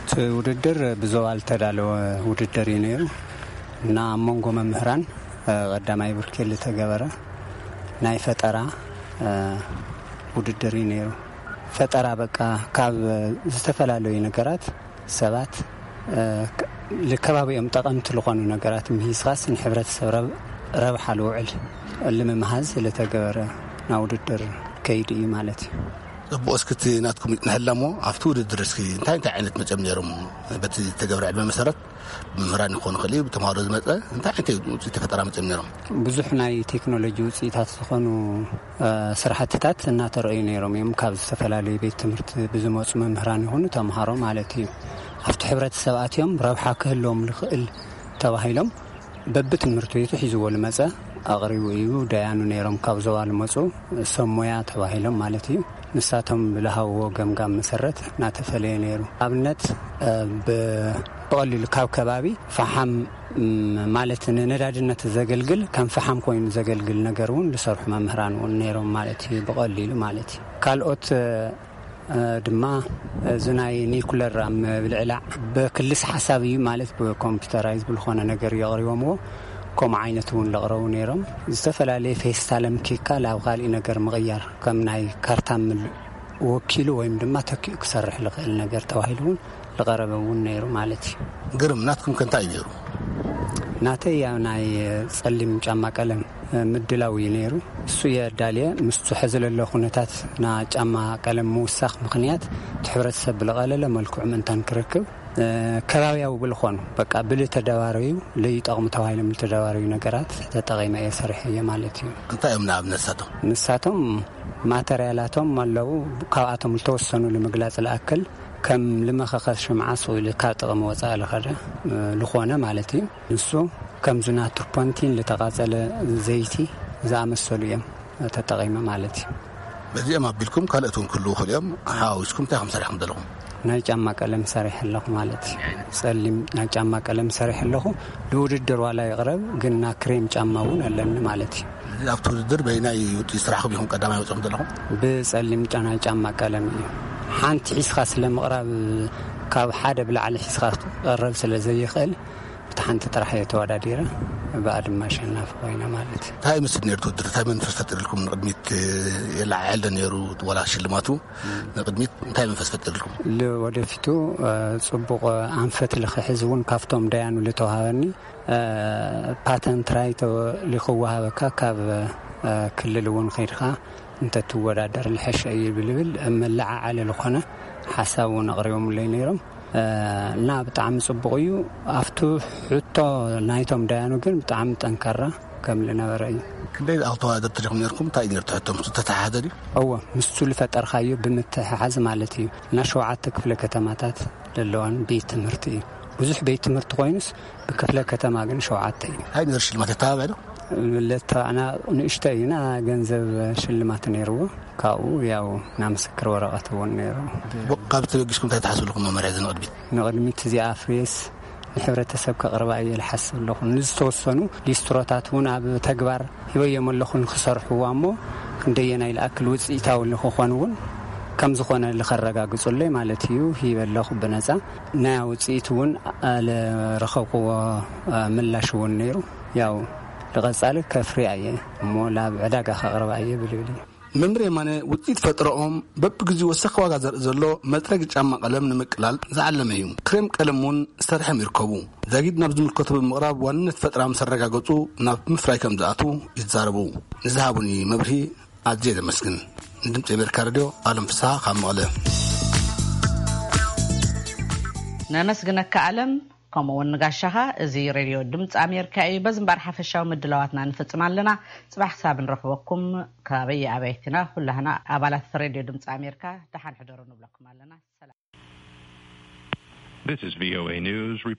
እቲ ውድድር ብዞባ ዝተዳለወ ውድድር እዩ ነይሩ እና ኣብ መንጎ መምህራን ቀዳማይ ብርኪ ዝተገበረ ናይ ፈጠራ ውድድር እዩ ነይሩ። ፈጠራ በቃ ካብ ዝተፈላለዩ ነገራት ሰባት ልከባቢኦም ጠቐምቲ ዝኾኑ ነገራት ምሂዝካስ ንሕብረተሰብ ረብሓ ልውዕል ልምምሃዝ ዝተገበረ ና ውድድር ከይዱ እዩ ማለት እዩ። ጽቡቕ። እስኪ እቲ ናትኩም ንሕለሞ ኣብቲ ውድድር እስኪ እንታይ እንታይ ዓይነት መጸም ነይሮም? በቲ ዝተገብረ ዕድመ መሰረት ብመምህራን ይኾኑ ክእል ብተምሃሮ ዝመጸ እንታይ ዓይነት ውፅኢት ፈጠራ መጸም ነይሮም? ብዙሕ ናይ ቴክኖሎጂ ውፅኢታት ዝኾኑ ስራሕትታት እናተረእዩ ነይሮም እዮም። ካብ ዝተፈላለዩ ቤት ትምህርቲ ብዝመፁ መምህራን ይኹኑ ተምሃሮ ማለት እዩ። ኣብቲ ሕብረተሰብ ኣትዮም ረብሓ ክህልዎም ዝኽእል ተባሂሎም በብትምህርቲ ቤቱ ሒዝዎ ዝመፀ ኣቕሪቡ እዩ። ደያኑ ነይሮም ካብ ዞባ ዝመፁ ሰብ ሞያ ተባሂሎም ማለት እዩ። ንሳቶም ብዝሃብዎ ገምጋም መሰረት እናተፈለየ ነይሩ። ኣብነት ብቐሊሉ ካብ ከባቢ ፈሓም ማለት ንነዳድነት ዘገልግል ከም ፈሓም ኮይኑ ዘገልግል ነገር እውን ዝሰርሑ መምህራን እውን ነይሮም ማለት እዩ። ብቐሊሉ ማለት እዩ። ካልኦት ድማ እዚ ናይ ኒኩለር ኣብ ምብልዕላዕ ብክልስ ሓሳብ እዩ ማለት ብኮምፒውተራይዝ ብዝኾነ ነገር የቕሪቦምዎ። ከምኡ ዓይነት እውን ለቕረቡ ነይሮም። ዝተፈላለየ ፌስታል ኣምኪካ ናብ ካሊእ ነገር ምቕያር ከም ናይ ካርታ ምል- ወኪሉ ወይም ድማ ተኪኡ ክሰርሕ ዝኽእል ነገር ተባሂሉ እውን ዝቐረበ እውን ነይሩ ማለት እዩ። ግርም፣ ናትኩም ከ እንታይ እዩ ነይሩ? ናተይ ያው ናይ ጸሊም ጫማ ቀለም ምድላው እዩ ነይሩ። እሱ የዳልየ ምስቱ ሕዚ ለሎ ኩነታት ና ጫማ ቀለም ምውሳኽ ምኽንያት እቲ ሕብረተሰብ ብለቐለለ መልክዑ ምእንታን ክረክብ ከባብያዊ ብልኾኑ በቃ ብልተደባረዩ ለይጠቕሙ ተባሂሎም ዝተደባረዩ ነገራት ተጠቒመ እየ ሰሪሐዮ ማለት እዩ። እንታይ እዮም ንኣብነት ንሳቶም? ንሳቶም ማተርያላቶም ኣለዉ። ካብኣቶም ዝተወሰኑ ንምግላፅ ዝኣክል ከም ልመኸኸስ ሽምዓ ስቕ ኢሉ ካብ ጥቕሚ ወፃኢ ልኸደ ልኾነ ማለት እዩ። ንሱ ከምዚ ና ቱርፖንቲን ልተቓፀለ ዘይቲ ዝኣመሰሉ እዮም ተጠቒመ ማለት እዩ። በዚኦም ኣቢልኩም ካልኦት እውን ክህልዉ ይኽእሉ እዮም። ሓዋዊስኩም እንታይ ከም ሰሪሕኩም ዘለኹም? ናይ ጫማ ቀለም ሰሪሕ ኣለኹ ማለት እዩ። ጸሊም ናይ ጫማ ቀለም ሰሪሕ ኣለኹ። ንውድድር ዋላ ይቕረብ ግን ና ክሬም ጫማ እውን ኣለኒ ማለት እዩ። እዚ ኣብቲ ውድድር በይናይ ውፅኢት ስራሕኩም ኢኹም ቀዳማይ ወፂኹም ዘለኹም? ብጸሊም ጫ- ናይ ጫማ ቀለም እዩ። ሓንቲ ሒዝካ ስለ ምቕራብ ካብ ሓደ ብላዕሊ ሒዝካ ክቐረብ ስለ ዘይኽእል ብቲ ሓንቲ ጥራሕ እየ ተወዳዲረ ብኣ ድማ ኣሸናፊ ኮይነ ማለት እዩ። እንታይ ይመስል ነይሩ እቲ ውድድር? እንታይ መንፈስ ፈጢርልኩም ንቕድሚት? የለዓዕል ዶ ነይሩ ዋላ ሽልማቱ ንቕድሚት እንታይ መንፈስ ፈጢርልኩም? ንወደፊቱ ጽቡቕ ኣንፈት ልክሕዝ እውን ካብቶም ደያኑ ልተዋሃበኒ ፓተንት ራይት ልክወሃበካ ካብ ክልል እውን ከይድካ እንተትወዳደር ልሐሸ እዩ ብልብል መለዓዓሊ ልኾነ ሓሳብ እውን ኣቕሪቦምለይ ነይሮም። እና ብጣዕሚ ጽቡቕ እዩ። ኣብቱ ሕቶ ናይቶም ደያኑ ግን ብጣዕሚ ጠንካራ ከም ዝነበረ እዩ። ክንደይ ዝኣኽል ተወዳደርቲ ዲኹም ነርኩም? እንታይ እዩ ነርቱ ሕቶም ተተሓሓዘ ድዩ? እወ፣ ምስቱ ዝፈጠርካዮ ብምትሕሓዝ ማለት እዩ። እና ሸውዓተ ክፍለ ከተማታት ዘለዋን ቤት ትምህርቲ እዩ። ብዙሕ ቤት ትምህርቲ ኮይኑስ ብክፍለ ከተማ ግን ሸውዓተ እዩ። እንታይ ነሩ ሽልማት የተባብዐ ዶ? ለተባዕና ንእሽቶ እዩና ገንዘብ ሽልማት ነይርዎ። ካብኡ ያው ና ምስክር ወረቐት እውን ነይሩ። ካብ ተበጊስኩም እንታይ ትሓስቡ ኣለኹም መመርሒ እዚ ንቕድሚት? ንቕድሚት እዚኣ ፍሬስ ንሕብረተሰብ ከቕርባ እየ ዝሓስብ ኣለኹ። ንዝተወሰኑ ሊስትሮታት እውን ኣብ ተግባር ሂበዮም ኣለኹ ንክሰርሕዋ እሞ ክንደየናይ ዝኣክል ውፅኢታዊ ንክኾን እውን ከም ዝኾነ ልኸረጋግፁለይ ማለት እዩ ሂበ ኣለኹ ብነፃ። ናይ ውፅኢት እውን ልረኸብክዎ ምላሽ እውን ነይሩ። ያው ልቐፃሊ ከፍርያ እየ እሞ ላብ ዕዳጋ ከቕርባ እየ ብልብል እዩ። መምህር የማነ ውፅኢት ፈጥረኦም በብግዜኡ ወሰኽ ዋጋ ዘርኢ ዘሎ መፅረጊ ጫማ ቀለም ንምቅላል ዝዓለመ እዩ። ክሬም ቀለም እውን ዝሰርሐም ይርከቡ። ዛጊድ ናብ ዝምልከቶ ብምቕራብ ዋንነት ፈጥራ ምስ ኣረጋገፁ ናብ ምፍራይ ከም ዝኣትዉ ይዛረቡ። ንዝሃቡኒ መብርሂ ኣዝየ ዘመስግን። ንድምፂ ኣሜሪካ ሬድዮ ኣለም ፍስሃ ካብ መቐለ። ነመስግነካ ኣለም። ከምኡ እውን ንጋሻኻ። እዚ ሬድዮ ድምፂ ኣሜሪካ እዩ። በዚ እምበኣር ሓፈሻዊ ምድላዋትና ንፍፅም ኣለና። ፅባሕ ክሳብ ንረኽበኩም ካበይ ኣበይትና ኩላህና ኣባላት ሬድዮ ድምፂ ኣሜሪካ ደሓን ሕደሩ ንብለኩም ኣለና። ሰላም። This is V O A News.